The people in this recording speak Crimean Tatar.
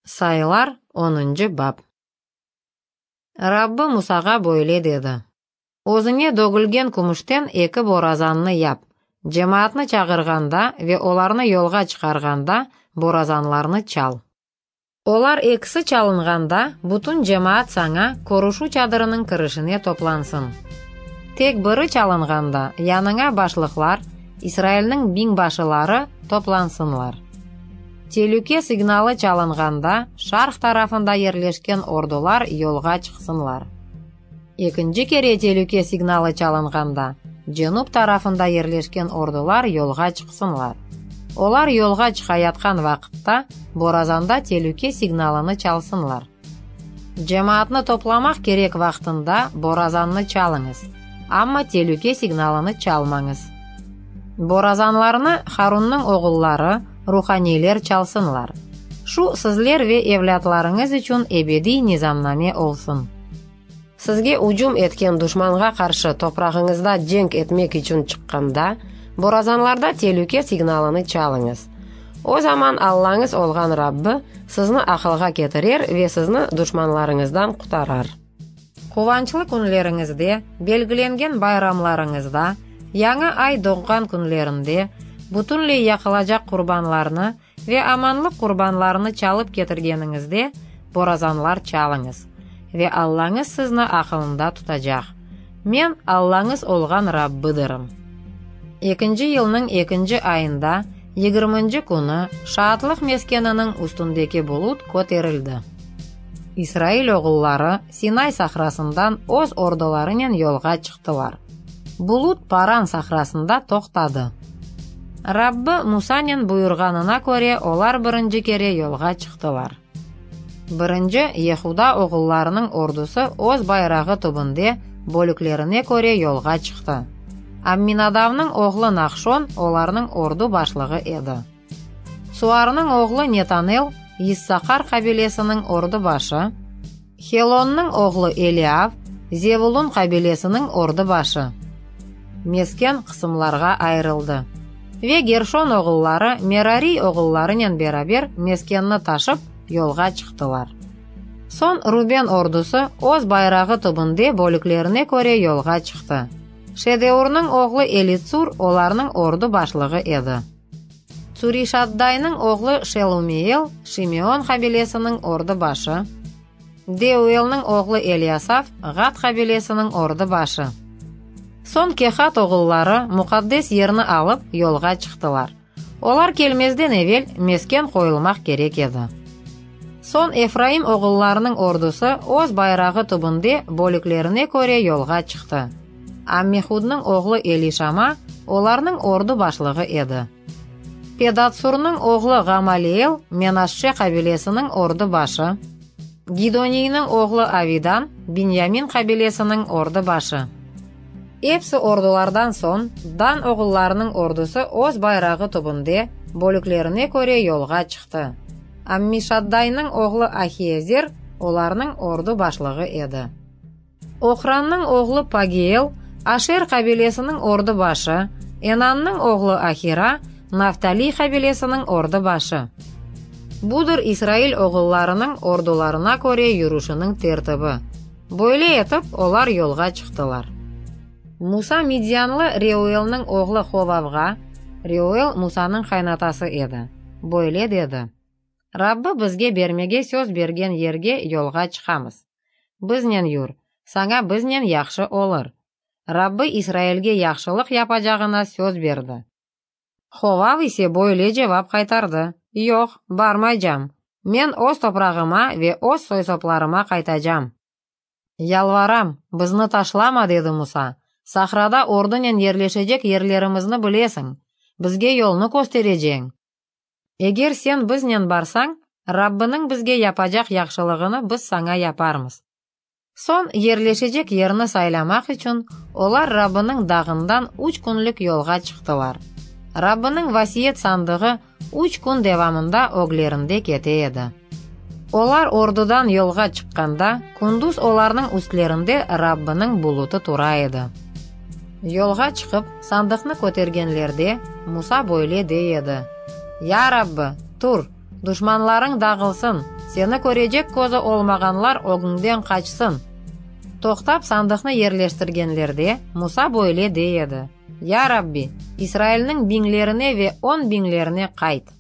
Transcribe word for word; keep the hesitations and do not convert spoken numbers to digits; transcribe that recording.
Sayılar, onuncı bap. Rabbi Musağa böyle dedi: Özüñe dögülgen kümüşten eki borazannı yap. Cemaatnı çağırğanda ve olarnı yolğa çıqarğanda borazanlarnı çal. Olar ekisi çalınğanda, bütün cemaat saña körüşüv çadırınıñ kirişine toplansın. Tek biri çalınğanda, yanıña başlıqlar, İsrailniñ biñbaşıları, toplansınlar. Telüke signalı çalınğanda, şarq tarafında yerleşken ordular yolğa çıqsınlar. Ekinci kere telüke signalı çalınğanda, cenüp tarafında yerleşken ordular yolğa çıqsınlar. Olar yolğa çıqayatqan vaqıtta, borazanda telüke signalını çalsınlar. Cemaatnı toplamaq kerek vaqtında borazannı çalıñız, amma telüke signalını çalmañız. Borazanlarnı Harunnıñ oğulları, ruhaniyler çalsınlar. Şu sizler ve evlâtlarıñız içün ebediy nizamname olsun. Sizge ücüm etken duşmanğa qarşı toprağıñızda cenk etmek içün çıqqanda, borazanlarda telüke signalını çalıñız. O zaman Allañız olğan Rabbi sizni aqılğa ketirer ve sizni duşmanlarıñızdan qutarar. Quvançlı künleriñizde, belgilengen bayramlarıñızda, yañı ay doğğan künlerinde, bütünley yaqılacaq qurbanlarnı ve amanlıq qurbanlarını çalıp ketirgeniñizde, borazanlar çalıñız. Ve Allañız sizni aqılında tutacaq. Men Allañız olğan Rabbıdırım. Ekinci yılnıñ ekinci ayında, yigirminci künü, Şaatlıq meskeniniñ üstündeki bulut köterildi. İsrail oğulları Sinay sahrasından öz ordularınen yolğa çıqtılar. Bulut Paran sahrasında toqtadı. Rabbi Musanen buyurğanına köre olar birinci kere yolğa çıqtılar. Birinci Yehuda oğullarınıñ ordusı öz bayrağı tübünde bölüklerine köre yolğa çıqtı. Amminadavnıñ oğlu Nahşon olarnıñ ordu başlığı edi. Suarnıñ oğlu Netanel Yissaqar qabilesiniñ ordu başı, Helonnıñ oğlu Eliav Zevulun qabilesiniñ ordu başı. Mesken qısımlarğa ayırıldı. Ve Gerşon oğulları Merari oğullarınen beraber meskenni taşıp yolğa çıqtılar. Soñ Ruben ordusı öz bayrağı tübünde bölüklerine köre yolğa çıqtı. Şedeurnıñ oğlu Elitsur olarnıñ ordu başlığı edi. Tsurişaddaynıñ oğlu Şelumiel Şimeon qabilesiniñ ordu başı, Deuelniñ oğlu Elyasaf Ğad qabilesiniñ ordu başı. Soñ Kehat oğulları muqaddes yerni alıp yolğa çıqtılar. Olar kelmezden evel mesken qoyulmaq kerek edi. Soñ Efraim oğullarınıñ ordusı öz bayrağı tübünde bölüklerine köre yolğa çıqtı. Ammihudnıñ oğlu Elişama olarnıñ ordu başlığı edi. Pedatsurnıñ oğlu Ğamaliel Menaşşe qabilesiniñ ordu başı, Gidoniyniñ oğlu Avidan Binyamin qabilesiniñ ordu başı. Episi ordulardan soñ Dan oğullarınıñ ordusı öz bayrağı tübünde bölüklerine köre yolğa çıqtı. Ammişaddaynıñ oğlu Ahiezer olarnıñ ordu başlığı edi. Oqrannıñ oğlu Pagiel Aşer qabilesiniñ ordu başı, Enannıñ oğlu Ahira Naftaliy qabilesiniñ ordu başı. Budır İsrail oğullarınıñ ordularına köre yürüşiniñ tertibi. Böyle etip olar yolğa çıqtılar. Musa Midyanlı Reuelniñ oğlu Hovavğa, Reuel Musanıñ qaynatası edi, böyle dedi: Rabbi bizge bermege söz bergen yerge yolğa çıqamız. Biznen yür, saña biznen yahşı olur. Rabbi İsrailge yahşılıq yapacağına söz berdi. Hovav ise böyle cevap qaytardı: Yoq, barmaycam. Men öz toprağıma ve öz soy-soplarıma qaytacam. Yalvaram, bizni taşlama, dedi Musa. Sahrada ordunen yerleşecek yerlerimizni bilesiñ. Bizge yolnı köstereceñ. Eger sen biznen barsañ, Rabbiniñ bizge yapacaq yahşılığını biz saña yaparmız. Soñ yerleşecek yerni saylamaq içün olar Rabbiniñ dağından üç künlük yolğa çıqtılar. Rabbiniñ vasiyet sandığı üç kün devamında öglerinde kete edi. Olar ordudan yolğa çıqqanda, kündüz olarnıñ üstlerinde Rabbiniñ bulutı tura edi. Yolğa çıqıp sandıqnı kötergenlerde Musa böyle dey edi: Ya Rabbi, tur, duşmanlarıñ dağılsın, Seni körecek közü olmağanlar ögüñden qaçsın! Toqtap sandıqnı yerleştirgenlerde, Musa böyle dey edi: Ya Rabbi, İsrailniñ biñlerine ve on biñlerine qayt!